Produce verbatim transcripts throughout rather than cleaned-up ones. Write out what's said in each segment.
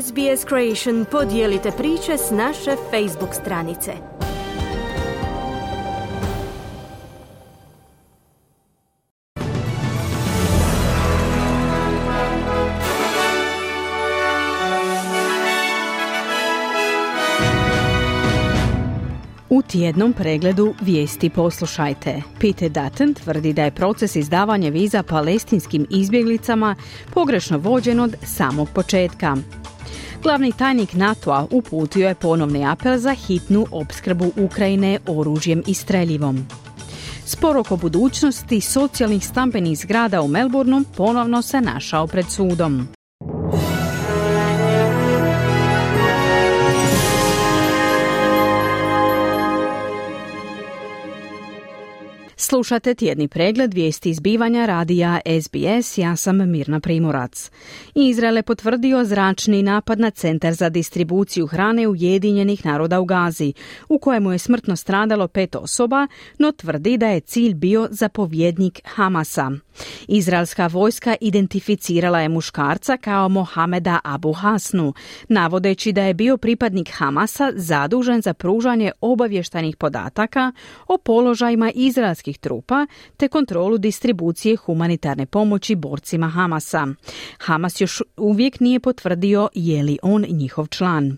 S B S Creation podijelite priče s naše Facebook stranice. U tjednom pregledu vijesti poslušajte. Peter Dutton tvrdi da je proces izdavanja viza palestinskim izbjeglicama pogrešno vođen od samog početka. Glavni tajnik NATO-a uputio je ponovni apel za hitnu opskrbu Ukrajine oružjem i streljivom. Spor oko budućnosti socijalnih stambenih zgrada u Melbourneu ponovno se našao pred sudom. Slušate tjedni pregled vijesti izbivanja radija S B S, ja sam Mirna Primorac. Izrael je potvrdio zračni napad na centar za distribuciju hrane Ujedinjenih naroda u Gazi, u kojemu je smrtno stradalo pet osoba, no tvrdi da je cilj bio zapovjednik Hamasa. Izraelska vojska identificirala je muškarca kao Mohameda Abu Hasnu, navodeći da je bio pripadnik Hamasa zadužen za pružanje obavještajnih podataka o položajima izraelskih trupa te kontrolu distribucije humanitarne pomoći borcima Hamasa. Hamas još uvijek nije potvrdio je li on njihov član.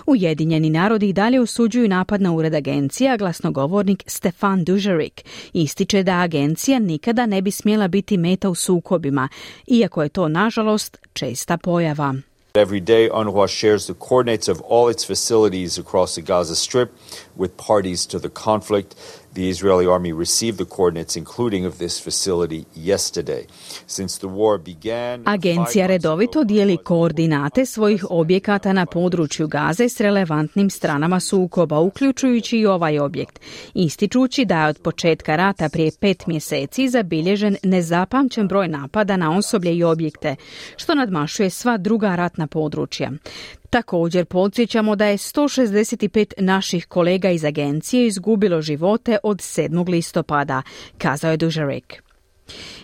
Ujedinjeni narodi i dalje osuđuju napad na ured agencije, a glasnogovornik Stefan Dujarric ističe da agencija nikada ne bi smjela biti meta u sukobima, iako je to, nažalost, česta pojava. Every day, UNRWA shares the coordinates of all its facilities across the Gaza Strip with parties to the conflict. The Israeli army received the coordinates, including of this facility, yesterday. Since the war began, Agencija redovito dijeli koordinate svojih objekata na području Gaze s relevantnim stranama sukoba, uključujući i ovaj objekt, ističući da je od početka rata prije pet mjeseci zabilježen nezapamćen broj napada na osoblje i objekte, što nadmašuje sva druga ratna područja. Također podsjećamo da je sto šezdeset pet naših kolega iz agencije izgubilo živote od sedmog listopada, kazao je Dujarric.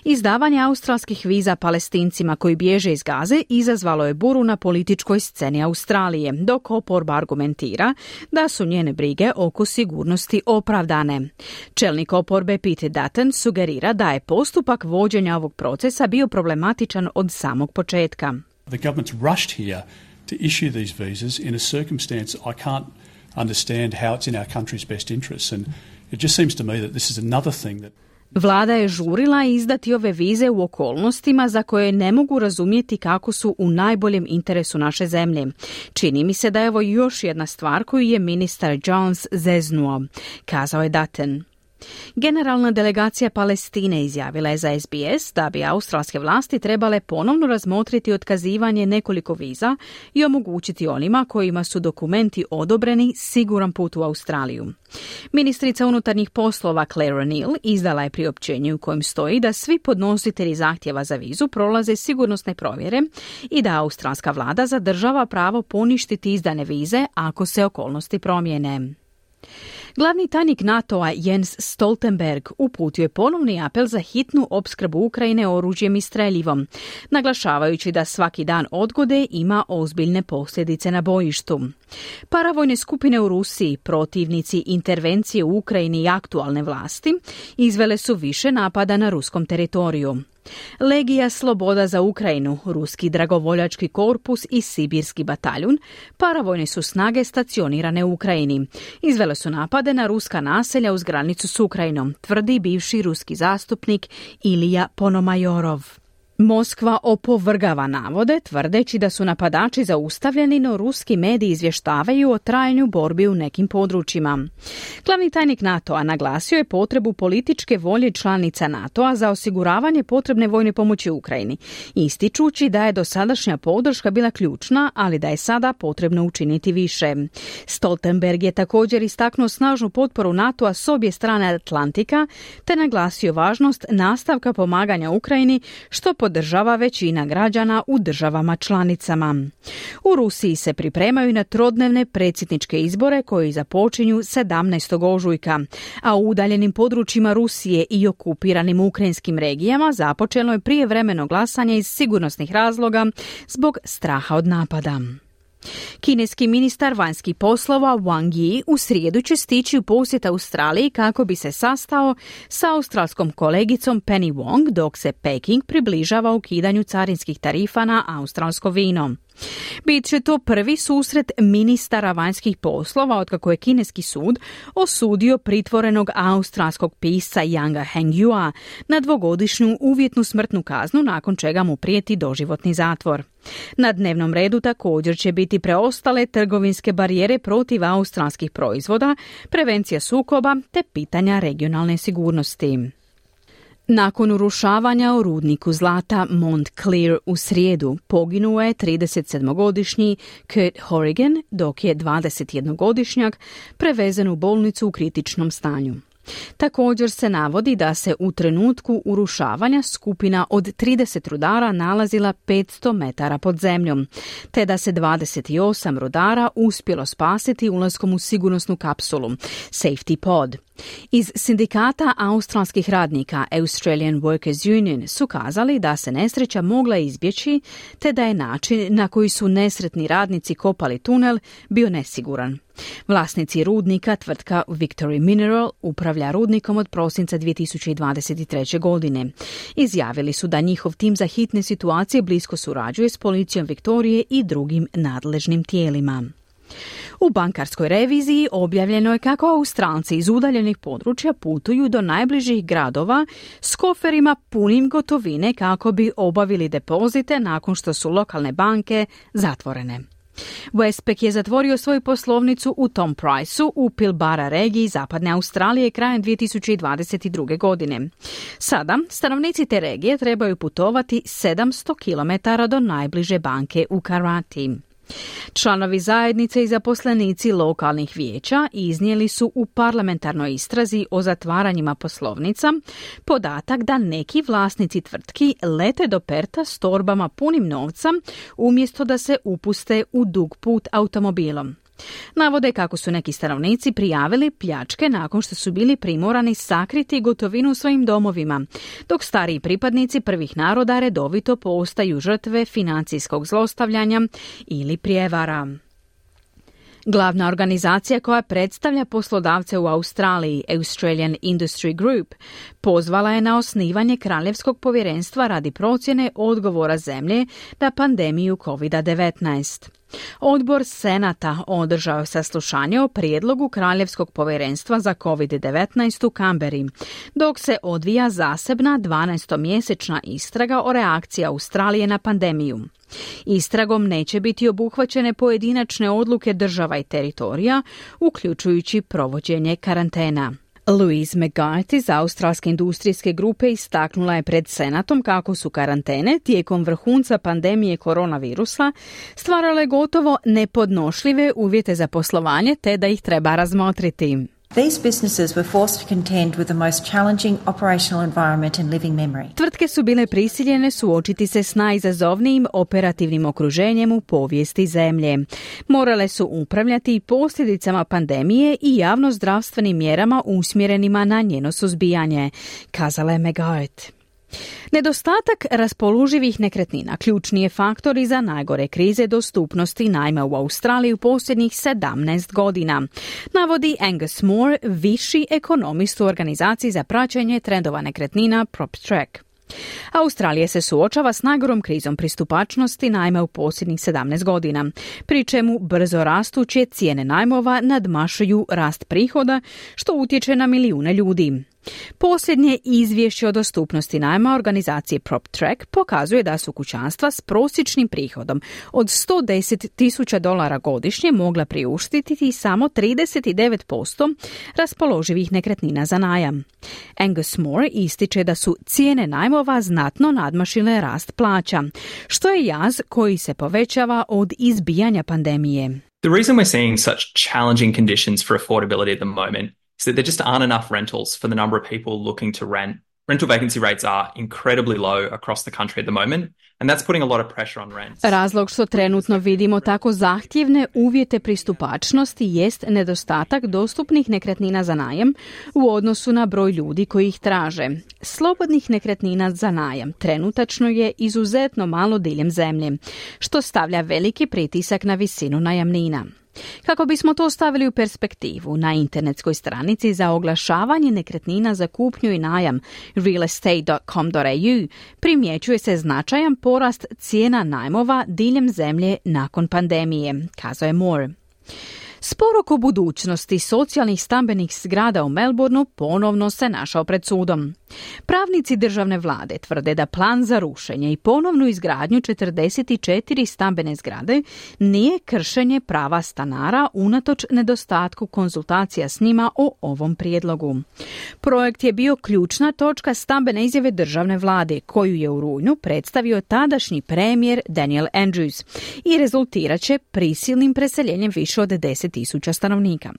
Izdavanje australskih viza Palestincima koji bježe iz Gaze izazvalo je buru na političkoj sceni Australije, dok oporba argumentira da su njene brige oko sigurnosti opravdane. Čelnik oporbe Peter Dutton sugerira da je postupak vođenja ovog procesa bio problematičan od samog početka. The government's rushed here to issue these visas in a circumstance I can't understand how it's in our country's best interests, and it just seems to me that this is another thing that Vlada je žurila izdati ove vize u okolnostima za koje ne mogu razumjeti kako su u najboljem interesu naše zemlje. Čini mi se da je ovo još jedna stvar koju je ministar Jones zeznuo, kazao je Dutton. Generalna delegacija Palestine izjavila je za S B S da bi australske vlasti trebale ponovno razmotriti otkazivanje nekoliko viza i omogućiti onima kojima su dokumenti odobreni siguran put u Australiju. Ministrica unutarnjih poslova Claire O'Neill izdala je priopćenje u kojem stoji da svi podnositelji zahtjeva za vizu prolaze sigurnosne provjere i da australska vlada zadržava pravo poništiti izdane vize ako se okolnosti promijene. Glavni tajnik NATO-a Jens Stoltenberg uputio je ponovni apel za hitnu opskrbu Ukrajine oružjem i streljivom, naglašavajući da svaki dan odgode ima ozbiljne posljedice na bojištu. Paravojne skupine u Rusiji, protivnici intervencije u Ukrajini i aktualne vlasti, izvele su više napada na ruskom teritoriju. Legija Sloboda za Ukrajinu, Ruski dragovoljački korpus i Sibirski bataljun, paravojne su snage stacionirane u Ukrajini. Izvele su napade na ruska naselja uz granicu s Ukrajinom, tvrdi bivši ruski zastupnik Ilija Ponomajorov. Moskva opovrgava navode, tvrdeći da su napadači zaustavljeni, no ruski mediji izvještavaju o trajanju borbi u nekim područjima. Glavni tajnik NATO-a naglasio je potrebu političke volje članica NATO-a za osiguravanje potrebne vojne pomoći Ukrajini, ističući da je dosadašnja podrška bila ključna, ali da je sada potrebno učiniti više. Stoltenberg je također istaknuo snažnu potporu NATO-a s obje strane Atlantika, te naglasio važnost nastavka pomaganja Ukrajini, što podržava većina građana u državama članicama. U Rusiji se pripremaju na trodnevne predsjedničke izbore koji započinju sedamnaestog ožujka, a u udaljenim područjima Rusije i okupiranim ukrajinskim regijama započelo je prijevremeno glasanje iz sigurnosnih razloga zbog straha od napada. Kineski ministar vanjskih poslova Wang Yi u srijedu će stići u posjet Australiji kako bi se sastao sa australskom kolegicom Penny Wong dok se Peking približava ukidanju carinskih tarifa na australsko vino. Bit će to prvi susret ministara vanjskih poslova otkako je kineski sud osudio pritvorenog australskog pisca Yanga Hengyua na dvogodišnju uvjetnu smrtnu kaznu nakon čega mu prijeti doživotni zatvor. Na dnevnom redu također će biti preostale trgovinske barijere protiv australskih proizvoda, prevencija sukoba te pitanja regionalne sigurnosti. Nakon urušavanja u rudniku zlata Montclair u srijedu poginuo je tridesetsedmogodišnji Kurt Horrigan, dok je dvadesetjednogodišnjak prevezen u bolnicu u kritičnom stanju. Također se navodi da se u trenutku urušavanja skupina od trideset rudara nalazila petsto metara pod zemljom, te da se dvadeset osam rudara uspjelo spasiti ulaskom u sigurnosnu kapsulu, Safety Pod. Iz sindikata australskih radnika Australian Workers Union su kazali da se nesreća mogla izbjeći, te da je način na koji su nesretni radnici kopali tunel bio nesiguran. Vlasnici rudnika, tvrtka Victory Mineral, upravlja rudnikom od prosinca dvije tisuće dvadeset treće. godine. Izjavili su da njihov tim za hitne situacije blisko surađuje s policijom Viktorije i drugim nadležnim tijelima. U bankarskoj reviziji objavljeno je kako Australci iz udaljenih područja putuju do najbližih gradova s koferima punim gotovine kako bi obavili depozite nakon što su lokalne banke zatvorene. Westpac je zatvorio svoju poslovnicu u Tom Priceu u Pilbara regiji zapadne Australije krajem dvije tisuće dvadeset druge. godine. Sada stanovnici te regije trebaju putovati sedamsto kilometara do najbliže banke u Karati. Članovi zajednice i zaposlenici lokalnih vijeća iznijeli su u parlamentarnoj istrazi o zatvaranjima poslovnica podatak da neki vlasnici tvrtki lete do Perta s torbama punim novca umjesto da se upuste u dug put automobilom. Navode kako su neki stanovnici prijavili pljačke nakon što su bili primorani sakriti gotovinu u svojim domovima, dok stariji pripadnici prvih naroda redovito postaju žrtve financijskog zlostavljanja ili prijevara. Glavna organizacija koja predstavlja poslodavce u Australiji, Australian Industry Group, pozvala je na osnivanje Kraljevskog povjerenstva radi procjene odgovora zemlje na pandemiju kovid devetnaest. Odbor Senata održao je saslušanje o prijedlogu Kraljevskog povjerenstva za kovid devetnaest u Kamberi, dok se odvija zasebna dvanaestomjesečna istraga o reakciji Australije na pandemiju. Istragom neće biti obuhvaćene pojedinačne odluke država i teritorija, uključujući provođenje karantena. Louise McGuire iz Australske industrijske grupe istaknula je pred Senatom kako su karantene tijekom vrhunca pandemije koronavirusa stvarale gotovo nepodnošljive uvjete za poslovanje te da ih treba razmotriti. These businesses were forced to contend with the most challenging operational environment in living memory. Tvrtke su bile prisiljene suočiti se s najizazovnijim operativnim okruženjem u povijesti zemlje. Morale su upravljati posljedicama pandemije i javnozdravstvenim mjerama usmjerenima na njeno suzbijanje, kazala je McGuire. Nedostatak raspoloživih nekretnina ključni je faktor i za najgore krize dostupnosti najma u Australiji u posljednjih sedamnaest godina, navodi Angus Moore, viši ekonomist u organizaciji za praćenje trendova nekretnina PropTrack. Australija se suočava s najgorom krizom pristupačnosti najma u posljednjih sedamnaest godina, pri čemu brzo rastuće cijene najmova nadmašuju rast prihoda, što utječe na milijune ljudi. Posljednje izvješće o dostupnosti najma organizacije PropTrack pokazuje da su kućanstva s prosječnim prihodom od sto deset tisuća dolara godišnje mogla priuštiti samo trideset devet posto raspoloživih nekretnina za najam. Angus Moore ističe da su cijene najmova znatno nadmašile rast plaća, što je jaz koji se povećava od izbijanja pandemije. The reason we're seeing such challenging conditions for affordability at the moment is that there just aren't enough rentals for the number of people looking to rent rental vacancy rates are incredibly low across the country at the moment, and that's putting a lot of pressure on rents. Razlog što trenutno vidimo tako zahtjevne uvjete pristupačnosti jest nedostatak dostupnih nekretnina za najam u odnosu na broj ljudi koji ih traže. Slobodnih nekretnina za najam trenutačno je izuzetno malo diljem zemlje, što stavlja veliki pritisak na visinu najamnina. Kako bismo to stavili u perspektivu, na internetskoj stranici za oglašavanje nekretnina za kupnju i najam real estate dot com dot a u primjećuje se značajan porast cijena najmova diljem zemlje nakon pandemije, kazao je Moore. Spor oko budućnosti socijalnih stambenih zgrada u Melbourneu ponovno se našao pred sudom. Pravnici državne vlade tvrde da plan za rušenje i ponovnu izgradnju četrdeset četiri stambene zgrade nije kršenje prava stanara unatoč nedostatku konzultacija s njima o ovom prijedlogu. Projekt je bio ključna točka stambene izjave državne vlade, koju je u rujnu predstavio tadašnji premijer Daniel Andrews i rezultirat će prisilnim preseljenjem više od deset tisuća stanovnika.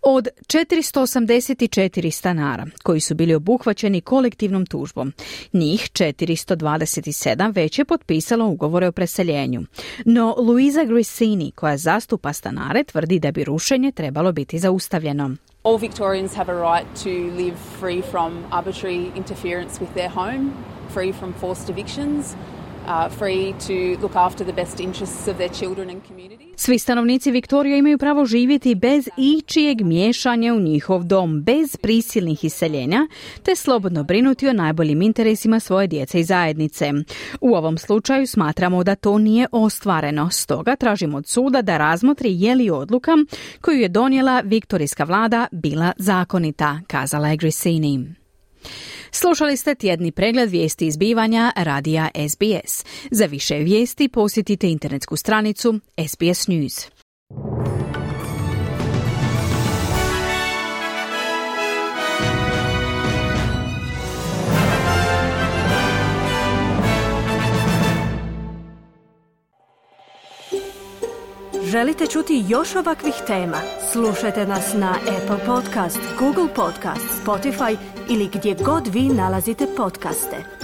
Od četiristo osamdeset četiri stanara koji su bili obuhvaćeni kolektivnom tužbom, njih četiristo dvadeset sedam već je potpisalo ugovore o preseljenju. No Luisa Grissini, koja zastupa stanare, tvrdi da bi rušenje trebalo biti zaustavljeno. All Victorians have a right to live free from arbitrary interference with their home, free from forced evictions, uh, free to look after the best interests of their children and communities. Svi stanovnici Viktorije imaju pravo živjeti bez ičijeg miješanja u njihov dom, bez prisilnih iseljenja, te slobodno brinuti o najboljim interesima svoje djece i zajednice. U ovom slučaju smatramo da to nije ostvareno, stoga tražimo od suda da razmotri je li odluka koju je donijela viktorijska vlada bila zakonita, kazala je Grissini. Slušali ste tjedni pregled vijesti i zbivanja radija S B S. Za više vijesti posjetite internetsku stranicu S B S News. Želite čuti još ovakvih tema? Slušajte nas na Apple Podcast, Google Podcast, Spotify ili gdje god vi nalazite podcaste.